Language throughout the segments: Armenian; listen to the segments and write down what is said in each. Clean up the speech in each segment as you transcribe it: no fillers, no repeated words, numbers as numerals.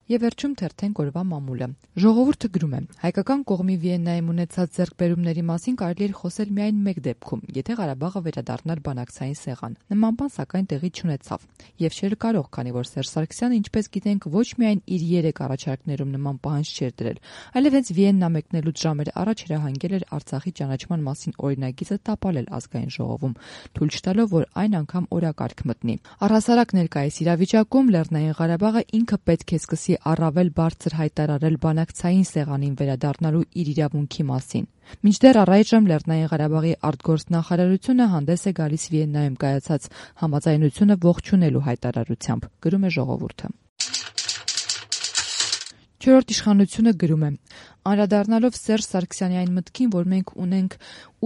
Եվ վերջում թերթենք օրվա մամուլը։ Ժողովուրդը գրում է. հայկական կողմի Վիեննայում ունեցած ձեռքբերումների մասին կարելի էր խոսել միայն մեկ դեպքում, եթե Ղարաբաղը վերադառնար բանակցային սեղան։ Նման բան սակայն տեղի չունեցավ։ Եվ չէր կարող, քանի որ Սերժ Սարգսյանը, ինչպես գիտենք, ոչ միայն իր 3 առաջարկներում նման պահանջ չէր դրել, այլև հենց Վիեննա մեկնելուց ժամեր առաջ հրահանգել էր Արցախի ճանաչման մասին օրինագիծը տապալել ազգային ժողովում, թույլ չտալով, որ այն անգամ օրակարգ մտնի։ Առհասարակ ներկայիս իրավիճակում Լեռնային Ղարաբաղը ինքը պետք է սկսի առավել բարձր հայտարարել բանակցային սեղանին վերադառնալու իր իրավունքի մասին։ Մինչդեռ առայժմ Լեռնային Ղարաբաղի արտգործնախարարությունը հանդես է գալիս Վիեննայում կայացած համաձայնությունը ողջունելու հայտարարությամբ, գրում է Ժողովուրդը։ Չորրորդ իշխանությունը գրում է. անդրադառնալով Սերժ Սարգսյանի այն մտքին, որ մենք ունենք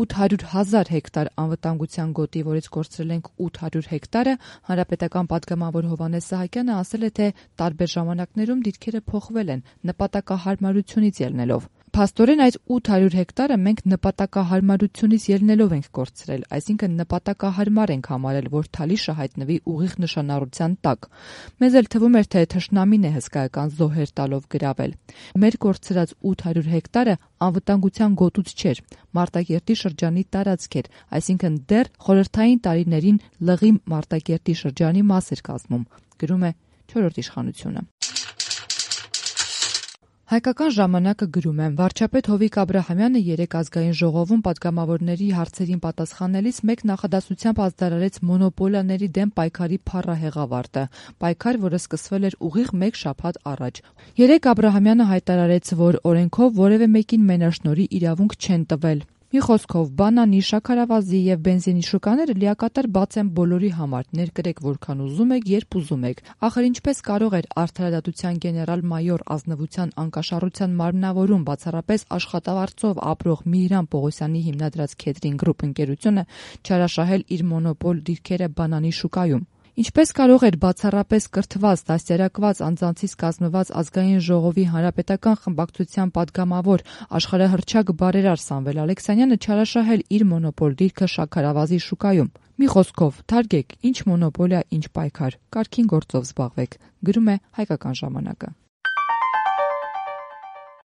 800,000 հեկտար անվտանգության գոտի, որից կորցրել ենք 800 հեկտարը, հանրապետական պատգամավոր Հովհաննես Սահակյանը ասել է, թե տարբեր ժամանակներում դիրքերը փոխվել են նպատակահարմարությունից ելնելով։ Փաստորեն այդ 800 հեկտարը մենք նպատակահարմարությունից ելնելով ենք կորցրել, այսինքն նպատակահարմար ենք համարել, որ Թալիշը հայտնվի ուղիղ նշանառության տակ։ Մեզ էլ թվում էր, թե թշնամին է հսկայական զոհեր տալով գրավել։ Մեր կորցրած 800 հեկտարը անվտանգության գոտուց չէր, Մարտակերտի շրջանի տարածք էր, այսինքն դեռ խորհրդային տարիներին Լղի Մարտակերտի շրջանի մաս էր կազմում, գրում է Չորրորդ իշխանությունը։ Հայկական ժամանակը գրում է. վարչապետ Հովիկ Աբրահամյանը երեկ ազգային ժողովում պատգամավորների հարցերին պատասխանելիս մեկ նախադասությամբ ազդարարեց մոնոպոլիաների դեմ պայքարի փառահեղավարտը, պայքար, որը սկսվել էր ուղիղ 1 շաբաթ առաջ։ Երեկ Աբրահամյանը հայտարարեց, որ օրենքով որևէ մեկին մենաշնորհի իրավունք չեն տվել։ Մի խոսքով, բանանի, շաքարավազի եւ բենզինի շուկաները լիակատար բաց են բոլորի համար, ներկրեք որքան ուզում եք, երբ ուզում եք։ Ախր ինչպես կարող էր Արդարադատության գեներալ-մայոր ազնվության անկաշառության մարմնավորում բացառապես աշխատավարձով ապրող Միհրան Պողոսյանի հիմնադրած Քեթրին Գրուպ ընկերությունը չարաշահել իր մոնոպոլ դիրքերը բանանի շուկայում։ Ինչպես կարող էր բացառապես կրթված, դաստիարակված անձանցից կազմված ազգային ժողովի հանրապետական խմբակցության պատգամավոր աշխարհահռչակ բարերար Սամվել Ալեքսանյանը չարաշահել իր մոնոպոլ դիրքը շաքարավազի շուկայում։ Մի խոսքով, թարգեք, ինչ մոնոպոլիա, ինչ պայքար, կարգին գործով զբաղվեք, գրում է Հայկական ժամանակը։